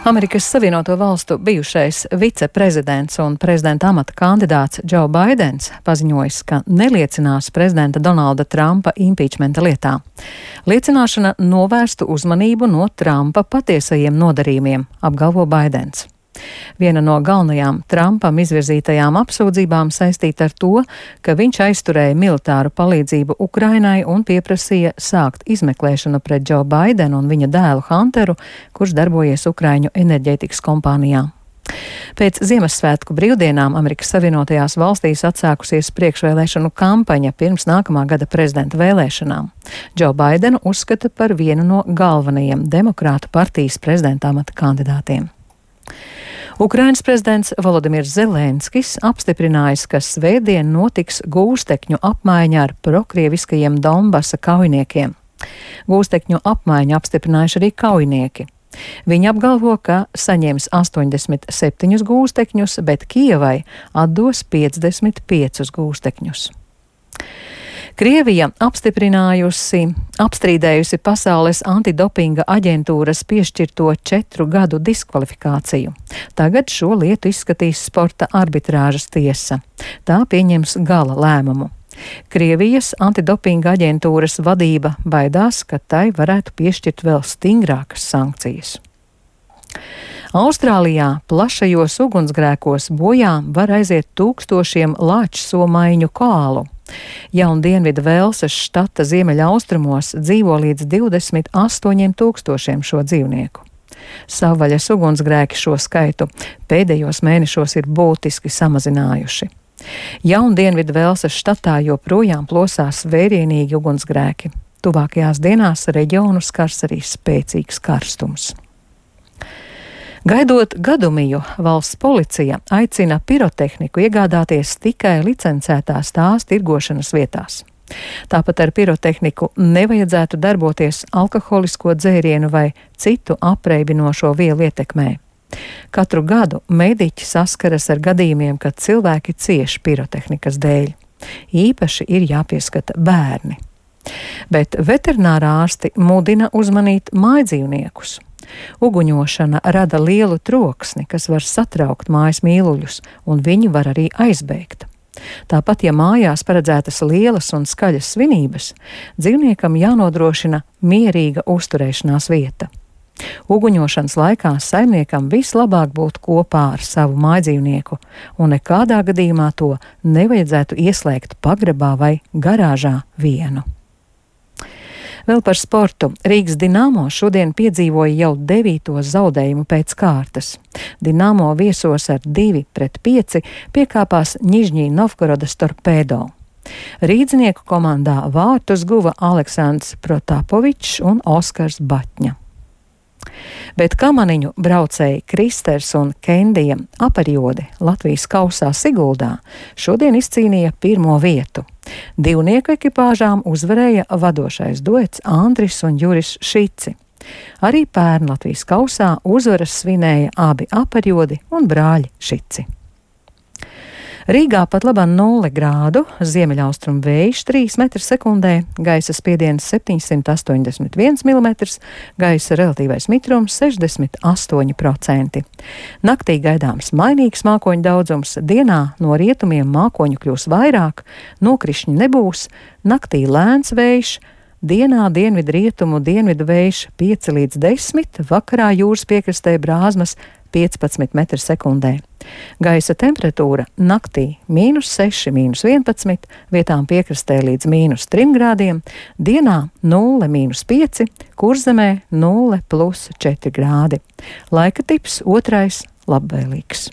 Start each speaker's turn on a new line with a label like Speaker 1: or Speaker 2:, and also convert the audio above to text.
Speaker 1: Amerikas Savienoto Valstu bijušais viceprezidents un prezidenta amata kandidāts Džo Baidens paziņojis, ka neliecinās prezidenta Donalda Trumpa impeachmenta lietā. Liecināšana novērstu uzmanību no Trumpa patiesajiem nodarījumiem, apgalvo Baidens. Viena no galvenajām Trumpam izvirzītajām apsūdzībām saistīta ar to, ka viņš aizturēja militāru palīdzību Ukrainai un pieprasīja sākt izmeklēšanu pret Džo Baidenu un viņa dēlu Hunteru, kurš darbojies Ukraiņu enerģētikas kompānijā. Pēc Ziemassvētku brīvdienām Amerikas Savienotajās valstīs atsākusies priekšvēlēšanu kampaņa pirms nākamā gada prezidenta vēlēšanām. Džo Baidenu uzskata par vienu no galvenajiem demokrātu partijas prezidenta amata kandidātiem. Ukrainas prezidents Volodimirs Zelenskis apstiprinājis, ka svētdien notiks gūstekņu apmaiņa ar prokrieviskajiem Donbasa kaujiniekiem. Gūstekņu apmaiņu apstiprinājuši arī kaujinieki. Viņi apgalvo, ka saņems 87 gūstekņus, bet Kijevai atdos 55 gūstekņus. Krievija apstrīdējusi Pasaules antidopinga aģentūras piešķirto 4 gadu diskvalifikāciju. Tagad šo lietu izskatīs sporta arbitrāžas tiesa. Tā pieņems gala lēmumu. Krievijas antidopinga aģentūras vadība baidās, ka tai varētu piešķirt vēl stingrākas sankcijas. Austrālijā plašajos ugunsgrēkos bojā var aiziet tūkstošiem lāčsomaiņu koalu. Jaundienvidu Velsas štata ziemeļaustrumos dzīvo līdz 28 000 šo dzīvnieku. Savvaļas ugunsgrēki šo skaitu pēdējos mēnešos ir būtiski samazinājuši. Jaundienvidu Velsas štatā joprojām plosās vērienīgi ugunsgrēki. Tuvākajās dienās reģionu skars arī spēcīgs karstums. Gaidot gadumiju, valsts policija aicina pirotehniku iegādāties tikai licencētās tās tirgošanas vietās. Tāpat ar pirotehniku nevajadzētu darboties alkoholisko dzērienu vai citu apreibinošo vielu ietekmē. Katru gadu mediķi saskaras ar gadījumiem, kad cilvēki cieš pirotehnikas dēļ. Īpaši ir jāpieskata bērni. Bet veterinārā ārsti mudina uzmanīt mājdzīvniekus. Uguņošana rada lielu troksni, kas var satraukt mājas mīluļus, un viņi var arī aizbēgt. Tāpat, ja mājās paredzētas lielas un skaļas svinības, dzīvniekam jānodrošina mierīga uzturēšanās vieta. Uguņošanas laikā saimniekam vislabāk būt kopā ar savu mājdzīvnieku, un nekādā gadījumā to nevajadzētu ieslēgt pagrabā vai garāžā vienu. Vēl par sportu. Rīgas Dinamo šodien piedzīvoja jau 9. zaudējumu pēc kārtas. Dinamo viesos ar 2-5 piekāpās Ņižņī Novgorodas Torpedo. Rīdznieku komandā vārtus guva Aleksandrs Protapovičs un Oskars Batņa. Bet kamaniņu braucēji Kristers un Kendija aperiodi Latvijas kausā Siguldā šodien izcīnīja 1. vietu. Divnieku ekipāžām uzvarēja vadošais duets Andris un Juris Šici. Arī pērn Latvijas kausā uzvaras svinēja abi aperiodi un brāļi Šici. Rīgā pat labāk 0 grādu, ziemeļaustrumu vējš 3 m/sekundē, gaisa spiediens 781 mm, gaisa relatīvais mitrums 68%. Naktī gaidāms mainīgs mākoņu daudzums, dienā no rietumiem mākoņu kļūs vairāk, nokrišņi nebūs, naktī lēns vējš, dienā dienvidu rietumu dienvidu vējš 5 līdz 10, vakarā jūras piekrastē brāzmas 15 m/sekundē. Gaisa temperatūra naktī -6, -11, vietām piekrastē līdz -3 grādiem, dienā 0, -5, Kurzemē 0, +4 grādi. Laika tips 2. labvēlīgs.